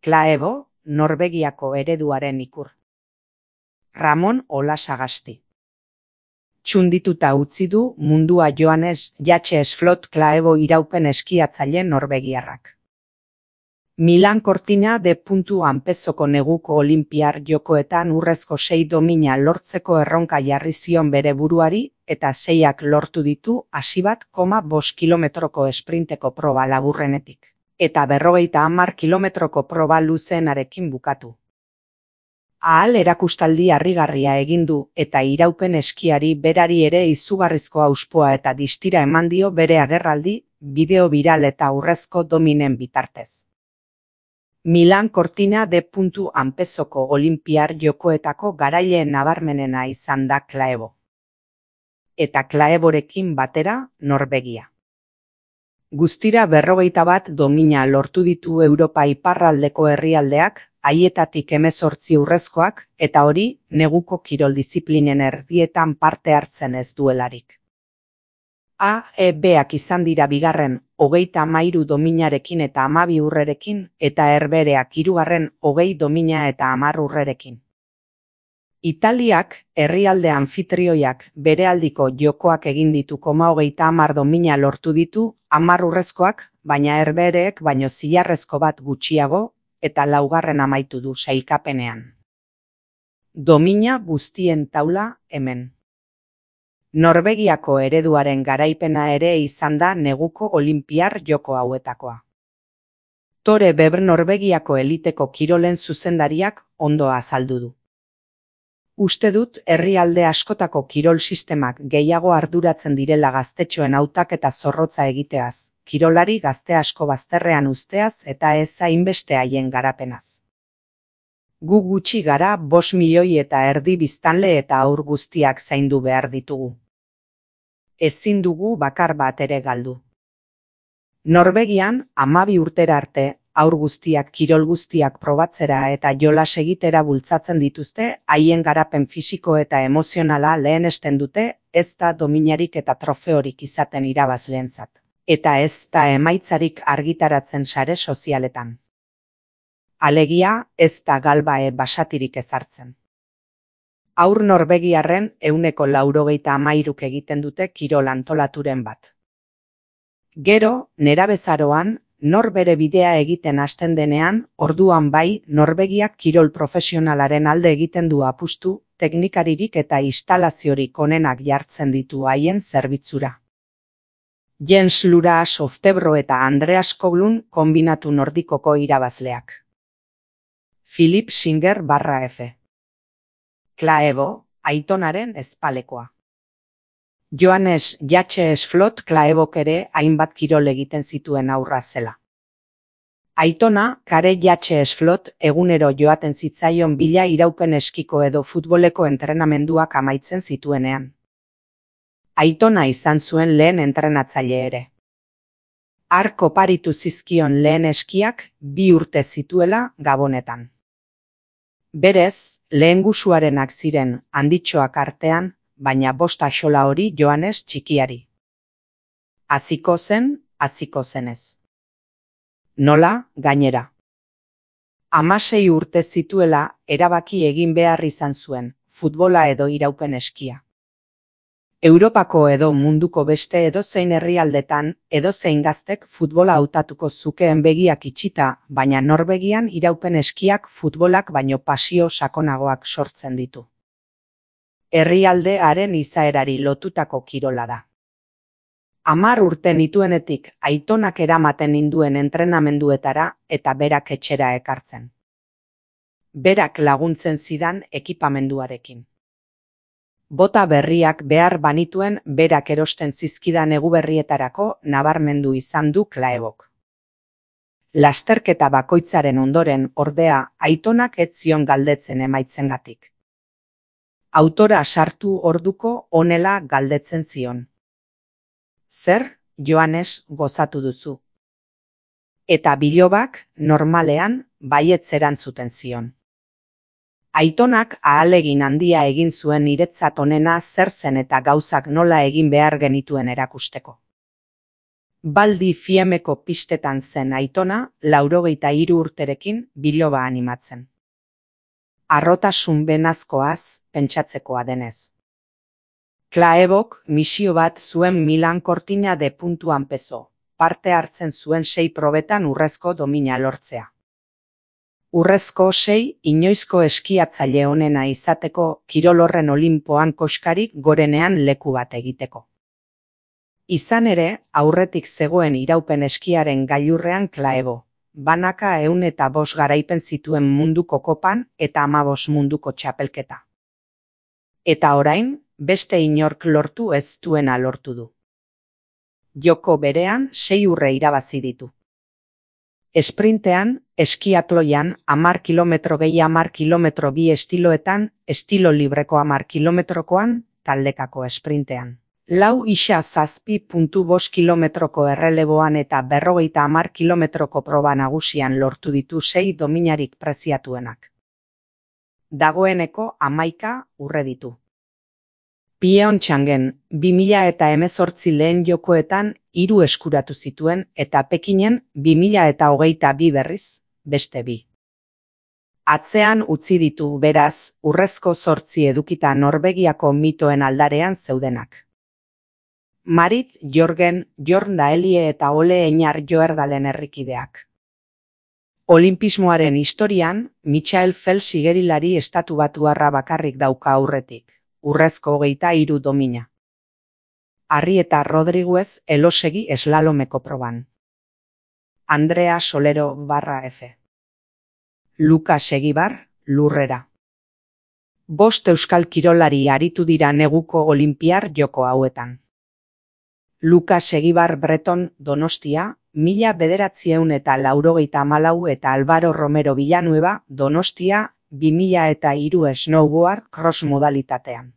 Klaebo, Norvegiako ereduaren ikur. Ramon Olasagasti. Txundituta utzi du mundua Johannes Jacques Flot Klaebo iraupen eskiatzaile norvegiarrak. Milan Cortina de Anpezoko neguko olinpiar jokoetan urrezko 6 domina lortzeko erronka jarri zion bere buruari eta 6ak lortu ditu 1,5 kilometroko esprinteko proba laburrenetik, eta 50 kilometroko proba luzeenarekin bukatu. Ahal erakustaldi harrigarria egin du eta iraupen eskiari berari ere izugarrizko auspoa eta distira eman dio bere agerraldi, bideo biral eta urrezko dominen bitartez. Milan Cortina de Anpezoko olinpiar jokoetako garaile nabarmenena izan da Klaebo. Eta Klaeborekin batera, Norvegia. Guztira 51 domina lortu ditu Europa iparraldeko herrialdeak, haietatik 18 urrezkoak, eta hori, neguko kirol diziplinen erdietan parte hartzen ez duelarik. A-E-Bak izan dira bigarren 33 dominarekin eta 12 urrerekin, eta Herbehereak hirugarren 20 domina eta 10 urrerekin. Italiak, herrialde anfitrioiak, berealdiko jokoak egin ditu 30 domina lortu ditu, 10 urrezkoak, baina Herbehereek baino zilarrezko bat gutxiago, eta laugarren amaitu du sailkapenean. Domina guztien taula hemen. Norvegiako ereduaren garaipena ere izan da neguko olinpiar joko hauetakoa. Tore Beber Norvegiako eliteko kirolen zuzendariak ondo azaldu du. Uste dut herrialde askotako kirol sistemak gehiago arduratzen direla gaztetxoen hautaketa zorrotza egiteaz, kirolari gazte asko bazterrean uzteaz eta ez hainbeste haien garapenaz. Gu gutxi gara 5 milioi eta erdi biztanle eta haur guztiak zaindu behar ditugu. Ezin dugu bakar bat ere galdu. Norvegian 12 urtera arte, haur guztiak kirol guztiak probatzera eta jolas egitera bultzatzen dituzte, haien garapen fisiko eta emozionala lehenesten dute, ez da dominarik eta trofeorik izaten irabazleentzat, eta ez da emaitzarik argitaratzen sare sozialetan. Alegia, ez da galbae basatirik ezartzen. Haur norvegiarren 93% egiten dute kirol antolaturen bat. Gero, nerabezaroan, nor bere bidea egiten hasten denean, orduan bai, Norvegiak kirol profesionalaren alde egiten du apustu, teknikaririk eta instalaziorik onenak jartzen ditu haien zerbitzura. Jens Luras Oftebro eta Andreas Koglund konbinatu nordikoko irabazleak. Philip Singer /F. Klaebo, Aitonaren ezpalekoa. Johannes Jacques Flot Klaebok ere hainbat kirol egiten zituen aurra zela. Aitona, Kare Jacques Flot, egunero joaten zitzaion bila iraupen eskiko edo futboleko entrenamenduak amaitzen zituenean. Aitona izan zuen lehen entrenatzaile ere. Hark oparitu zizkion lehen eskiak 2 urte zituela Gabonetan. Berez, lehen gusuarenak ziren handitxoak artean, baina 5 axola hori Johannes txikiari. Hasiko zenez. Nola, gainera. 16 urte zituela, erabaki egin behar izan zuen, futbola edo iraupen eskia. Europako edo munduko beste edozein herrialdetan, edozein gaztek futbola hautatuko zukeen begiak itxita, baina Norvegian iraupen eskiak futbolak baino pasio sakonagoak sortzen ditu. Herrialde haren izaerari lotutako kirola da. 10 urte nituenetik Aitonak eramaten ninduen entrenamenduetara eta berak etxera ekartzen. Berak laguntzen zidan ekipamenduarekin. Bota berriak behar banituen berak erosten zizkidan eguberrietarako nabarmendu izan du Klaebok. Lasterketa bakoitzaren ondoren ordea Aitonak ez zion galdetzen emaitzengatik. Autora sartu orduko honela galdetzen zion. Zer, Johannes, gozatu duzu? Eta bilobak, normalean, baietz erantzuten zion. Aitonak ahalegin handia egin zuen niretzat onena zer zen eta gauzak nola egin behar genituen erakusteko. Baldi Fiemeko pistetan zen aitona, 83 urterekin biloba animatzen. Arrotasun benazkoaz pentsatzekoa denez. Klaebok misio bat zuen Milan Cortina de puntuan peso, parte hartzen zuen 6 probetan urrezko domina lortzea. Urrezko 6 inoizko eskiatzaile onena izateko kirol horren Olinpoan koskarik gorenean leku bat egiteko. Izan ere, aurretik zegoen iraupen eskiaren gailurrean Klaebo, banaka 105 garaipen zituen munduko kopan eta 15 munduko txapelketa. Eta orain, beste inork lortu ez duena lortu du. Joko berean 6 urre irabazi ditu. Esprintean, eskiatloian 10 kilometro gehi 10 kilometro bi estiloetan, estilo libreko 10 kilometrokoan, taldekako esprintean. 4,7,5 kilometroko erreleboan eta 50 kilometroko proba nagusian lortu ditu 6 dominarik preziatuenak. Dagoeneko 11 urre ditu. Pyeongchangen 2018 lehen jokoetan 3 eskuratu zituen eta Pekinen 2022 berriz, beste 2. Atzean utzi ditu beraz, urrezko 8 edukita Norvegiako mitoen aldarean zeudenak. Marit Jorgen, Jorn Daelie eta Ole Einar Joerdalen herrikideak. Olimpismoaren historian, Michael Phelps igerilari estatubatuarra bakarrik dauka aurretik, urrezko 23 domina. Arrieta Rodriguez elosegi eslalomeko proban. Andrea Solero /F. Lukas Egibar, lurrera. 5 euskal kirolari aritu dira neguko olinpiar joko hauetan. Lukas Egibar Breton Donostia, 1984 eta Álvaro Romero Villanueva Donostia, 2003 snowboard cross modalitatean.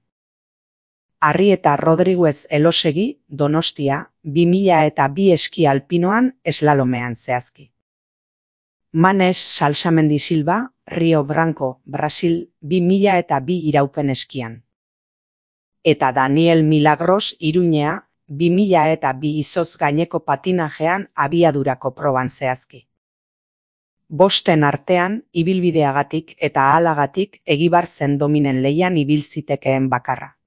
Arrieta Rodriguez elosegi Donostia, 2002 eski alpinoan eslalomean zehazki. Manes Salsamendi Silva, Rio Branco, Brasil, 2002 iraupen eskian. Eta Daniel Milagros Iruñea, 2002 izoz gaineko patinajean abiadurako proban zehazki. 5 artean, ibilbideagatik eta ahalagatik Egibar zen dominen leian ibil zitekeen bakarra.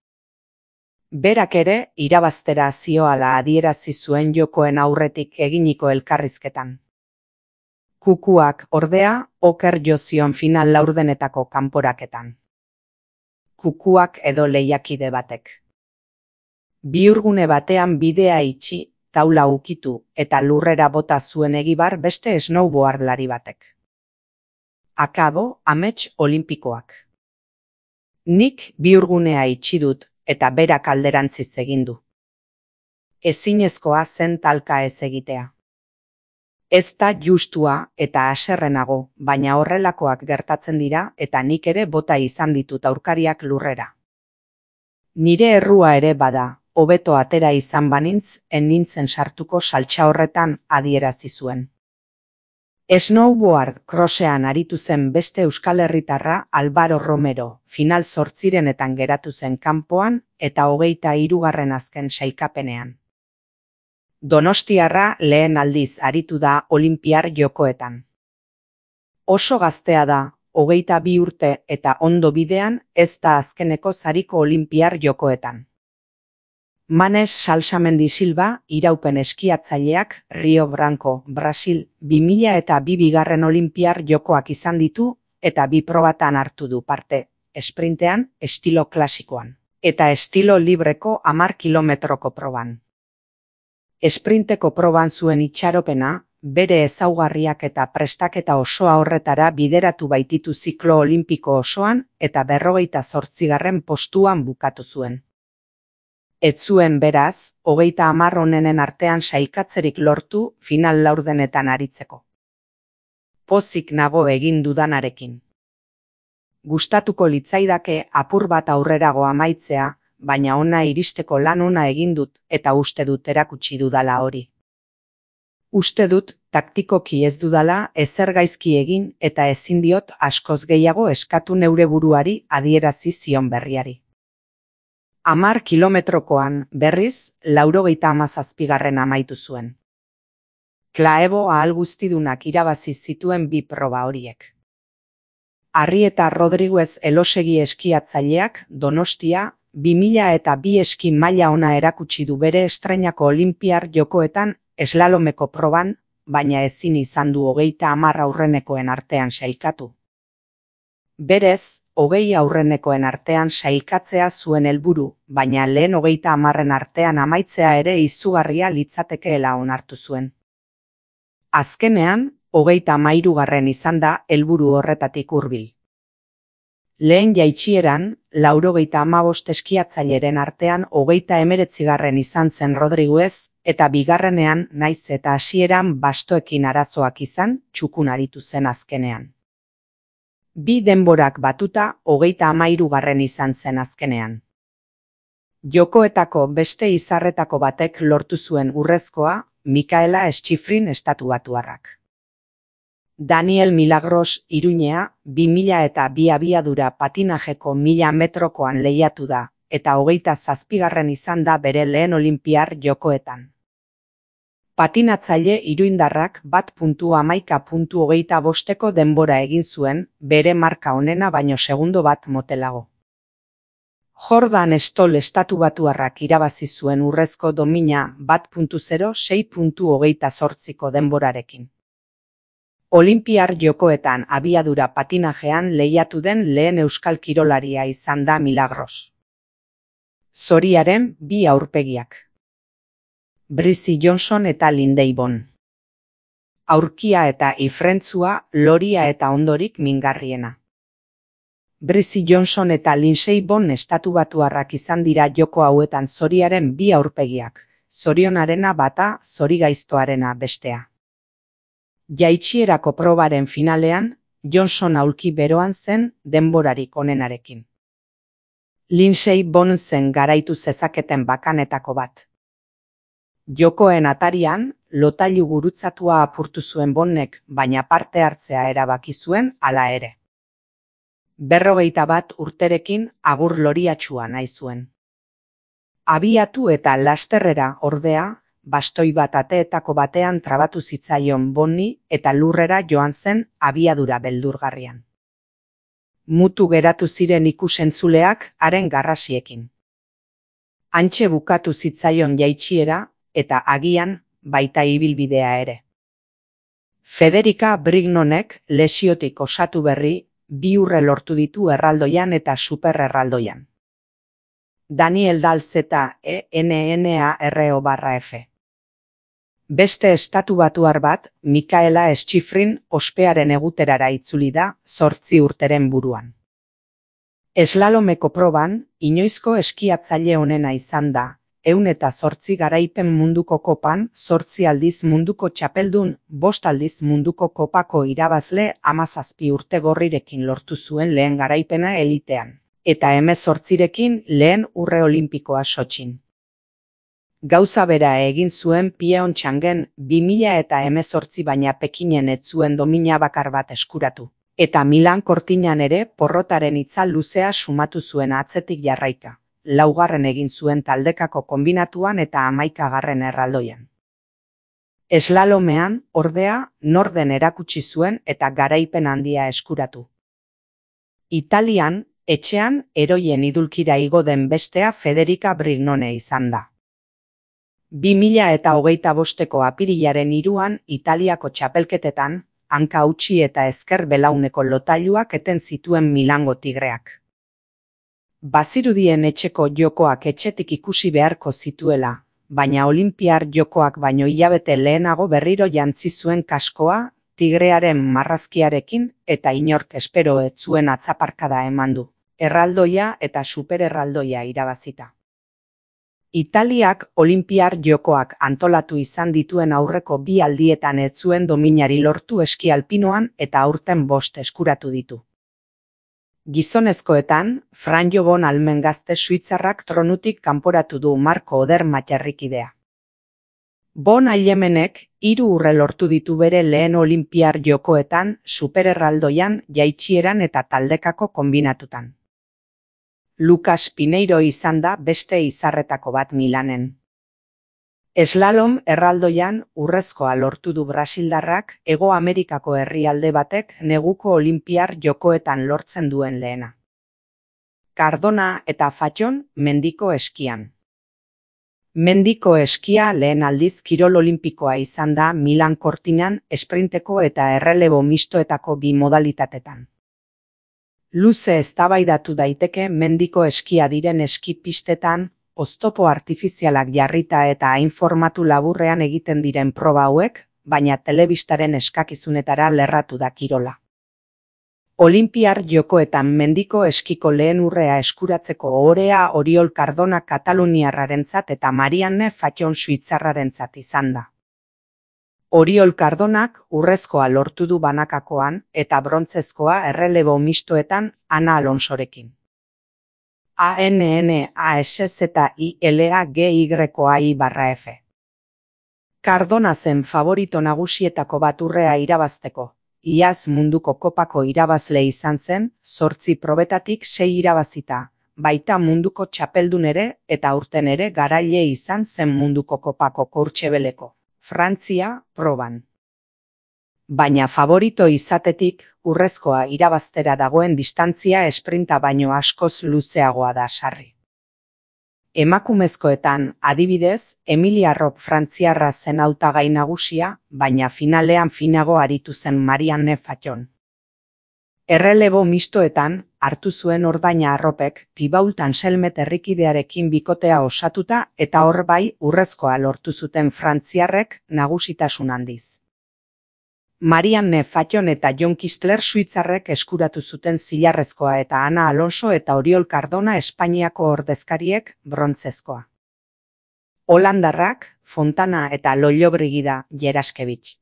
Berak ere, irabaztera zioala adierazi zuen jokoen aurretik eginiko elkarrizketan. Kukuak, ordea, oker jo zion final laurdenetako kanporaketan. Kukuak edo lehiakide batek. Bihurgune batean bidea itxi, taula ukitu eta lurrera bota zuen Egibar beste snowboardlari batek. Akabo, amets olimpikoak. Nik bihurgunea itxi dut eta berak alderantziz egin du. Ezinezkoa zen talka ez egitea. Ez da justua eta haserrenago, baina horrelakoak gertatzen dira eta nik ere bota izan ditut aurkariak lurrera. Nire errua ere bada, hobeto atera izan banintz, nintzen sartuko saltsa horretan adierazi zuen. Snowboard crossean aritu zen beste euskal herritarra Álvaro Romero, final 8renetan geratu zen kanpoan eta 23. azken sailkapenean. Donostiarra lehen aldiz aritu da olinpiar jokoetan. Oso gaztea da, 22 urte eta ondo bidean ez da azkeneko sariko olinpiar jokoetan. Manes Salsamendi Silva, iraupen eskiatzaileak Rio Branco, Brasil, 2002 bigarren olinpiar jokoak izan ditu eta 2 probatan hartu du parte, esprintean, estilo klasikoan, eta estilo libreko 10 kilometroko proban. Esprinteko proban zuen itxaropena, bere ezaugarriak eta prestaketa osoa horretara bideratu baititu ziklo olimpiko osoan eta 48. postuan bukatu zuen. Ez zuen beraz, 30 onenen artean sailkatzerik lortu final laurdenetan aritzeko. Pozik nago egin dudanarekin. Gustatuko litzaidake apur bat aurrerago amaitzea, baina ona iristeko lan ona egin dut eta uste dut erakutsi dudala hori. Uste dut taktikoki ez dudala ezer gaizki egin eta ezin diot askoz gehiago eskatu neure buruari adierazi zion berriari. 10 kilometrokoan berriz 97. amaitu zuen. Klaebo ahal guztidunak irabazi zituen bi proba horiek. Arrieta Rodriguez Elosegi eskiatzaileak Donostia 2002 eski maila ona erakutsi du bere estreinako olinpiar jokoetan eslalomeko proban, baina ezin izan du 30 aurrenekoen artean sailkatu. Berez, 20 aurrenekoen artean sailkatzea zuen helburu, baina lehen 30 artean amaitzea ere izugarria litzatekeela onartu zuen. Azkenean, 33 izan da helburu horretatik hurbil. Lehen jaitsieran, 95 eskiatzaileren artean 39 izan zen Rodriguez, eta bigarrenean, naiz eta hasieran bastoekin arazoak izan, txukun aritu zen azkenean. Bi denborak batuta 33 izan zen azkenean. Jokoetako beste izarretako batek lortu zuen urrezkoa, Mikaela Schifrin estatubatuarrak. Daniel Milagros Iruñea 2002 abiadura patinajeko 1000 metrokoan lehiatu da, eta 27 izan da bere lehen olinpiar jokoetan. Patinatzaile iruindarrak 1.11.25 denbora egin zuen, bere marka onena baino segundo bat motelago. Jordan Stoll estatubatuarrak irabazi zuen urrezko domina 1.06.28 denborarekin. Olinpiar jokoetan abiadura patinajean lehiatu den lehen euskal kirolaria izan da Milagros. Zoriaren bi aurpegiak. Brizy Johnson eta Lindsey Vonn. Aurkia eta ifrentzua, loria eta ondorik mingarriena. Brizy Johnson eta Lindsey Vonn estatubatuarrak izan dira joko hauetan zoriaren bi aurpegiak, zorionarena bata, zorigaiztoarena bestea. Jaitsierako probaren finalean, Johnson aulki beroan zen denborarik onenarekin. Lindsey Vonn zen garaitu zezaketen bakanetako bat. Jokoen atarian, lotailu gurutzatua apurtu zuen Vonnek, baina parte hartzea erabaki zuen hala ere. 51 urterekin agur loriatsua nahi zuen. Abiatu eta lasterrera ordea, bastoi bat ateetako batean trabatu zitzaion Vonni eta lurrera joan zen abiadura beldurgarrian. Mutu geratu ziren ikusentzuleak haren garrasiekin. Hantxe bukatu zitzaion jaitsiera eta agian baita ibilbidea ere. Federica Brignonek lesiotik osatu berri 2 urre lortu ditu erraldoian eta supererraldoian. Daniel Dalzeta ENNARO/F. Beste estatubatuar bat, Mikaela Schifrin ospearen eguterara itzuli da 8 urteren buruan. Eslalomeko proban, inoizko eskiatzaile onena izan da, 108 garaipen munduko kopan, 8 aldiz munduko txapeldun, 5 aldiz munduko kopako irabazle 17 urte gorrirekin lortu zuen lehen garaipena elitean, eta 18rekin lehen urre olimpikoa Sotxin. Gauza bera egin zuen Pyeongchangen 2018 baina Pekinen ez zuen domina bakar bat eskuratu, eta Milan Kortinan ere porrotaren itzal luzea sumatu zuen atzetik jarraika. 4. egin zuen taldekako konbinatuan eta 11. erraldoian. Eslalomean, ordea, norden erakutsi zuen eta garaipen handia eskuratu. Italian, etxean, eroien idulkira igo den bestea Federica Brignone izan da. 2025ko apirilaren 3an Italiako txapelketetan, hanka hautsi eta ezker belauneko lotailuak eten zituen Milango Tigreak. Bazirudien etxeko jokoak etxetik ikusi beharko zituela, baina olinpiar jokoak baino hilabete lehenago berriro jantzi zuen kaskoa, tigrearen marrazkiarekin eta inork espero ez zuen atzaparkada eman du, erraldoia eta supererraldoia irabazita. Italiak olinpiar jokoak antolatu izan dituen aurreko 2 aldietan ez zuen dominari lortu eski alpinoan eta aurten 5 eskuratu ditu. Gizonezkoetan, Franjo Von Almen gazte suitzarrak tronutik kanporatu du Marko Oder Matxarrikidea. Von Almenek 3 urre lortu ditu bere lehen olinpiar jokoetan, supererraldoian, jaitsieran eta taldekako konbinatutan. Lucas Pineiro izan da beste izarretako bat Milanen. Slalom erraldoian urrezkoa lortu du brasildarrak Hego Amerikako herrialde batek neguko olinpiar jokoetan lortzen duen lehena. Cardona eta Fatjon mendiko eskian. Mendiko eskia lehen aldiz kirol olimpikoa izan da Milan Cortinan esprinteko eta errelebo mistoetako bi modalitatetan. Luze eztabaidatu daiteke mendiko eskia diren eski pistetan, oztopo artifizialak jarrita eta hain formatu laburrean egiten diren proba hauek, baina telebistaren eskakizunetara lerratu da kirola. Olinpiar jokoetan mendiko eskiko lehen urrea eskuratzeko ohorea Oriol Cardona kataluniarrarentzat eta Marianne Fatjon suitzarrarentzat izan da. Oriol Cardonak urrezkoa lortu du banakakoan eta brontzezkoa errelebo mistoetan Ana Alonsorekin. ANNASZILAGYAI/F. Cardona zen favorito nagusietako bat urrea irabazteko. Iaz munduko kopako irabazle izan zen, 8 probetatik 6 irabazita, baita munduko txapeldun ere eta aurten ere garaile izan zen munduko kopako Courchebeleko, Frantzia, proban. Baina favorito izatetik, urrezkoa irabaztera dagoen distantzia esprinta baino askoz luzeagoa da sarri. Emakumezkoetan, adibidez, Emilia Rop frantziarra zen hautagai nagusia, baina finalean finago aritu zen Marianne Fatjon. Errelebo mistoetan, hartu zuen ordaina Arropek Thibault Anselmet herrikidearekin bikotea osatuta eta hor bai urrezkoa lortu zuten frantziarrek nagusitasun handiz. Marianne Fatjon eta Jon Kistler suitzarrek eskuratu zuten zilarrezkoa eta Ana Alonso eta Oriol Cardona Espainiako ordezkariek brontzezkoa. Holandarrak Fontana eta Lollobrigida Jeraskevich.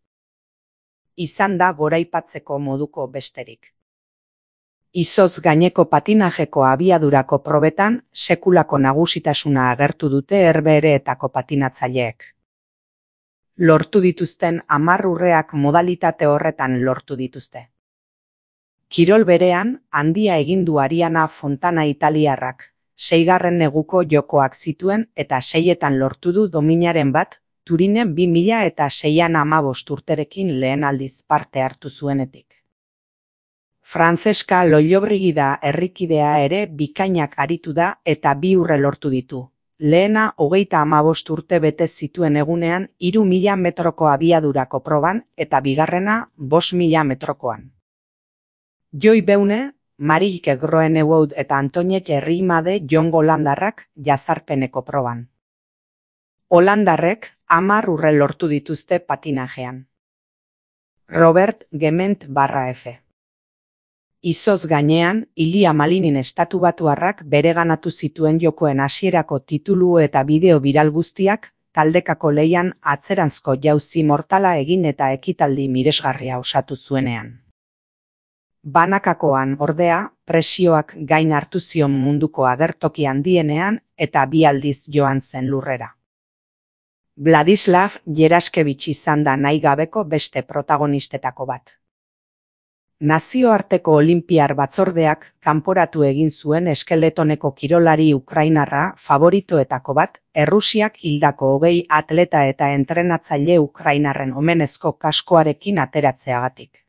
Izan da goraipatzeko moduko besterik. Izoz gaineko patinajeko abiadurako probetan sekulako nagusitasuna agertu dute Herbehereetako patinatzaileek. Lortu dituzten 10 urreak modalitate horretan lortu dituzte. Kirol berean, handia egin du Ariana Fontana italiarrak, 6. neguko jokoak zituen eta 6etan lortu du dominaren bat, Turinen 2006an 15 urterekin lehen aldiz parte hartu zuenetik. Francesca Lollobrigida herrikidea ere bikainak aritu da eta 2 urre lortu ditu. Lehena 35 urte bete zituen egunean 3000 metroko abiadurako proban eta bigarrena 5000 metrokoan. Joy Beune, Marieke Groenewoud eta Antoinette Riemade Jon holandarrak jazarpeneko proban. Holandarrek 10 urre lortu dituzte patinajean. Robert Gement/F. Izoz gainean, Ilia Malinin estatubatuarrak bereganatu zituen jokoen hasierako titulu eta bideo biral guztiak, taldekako lehian atzeranzko jauzi mortala egin eta ekitaldi miresgarria osatu zuenean. Banakakoan ordea, presioak gain hartu zion munduko agertoki handienean eta 2 aldiz joan zen lurrera. Vladislav Jeraskevich izan da nahi gabeko beste protagonistetako bat. Nazioarteko Olinpiar Batzordeak kanporatu egin zuen eskeletoneko kirolari ukrainarra favoritoetako bat, Errusiak hildako 20 atleta eta entrenatzaile ukrainarren omenezko kaskoarekin ateratzeagatik.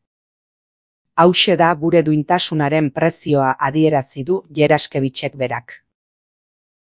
Hauxe da gure duintasunaren prezioa adierazi du Jeraskevichek berak.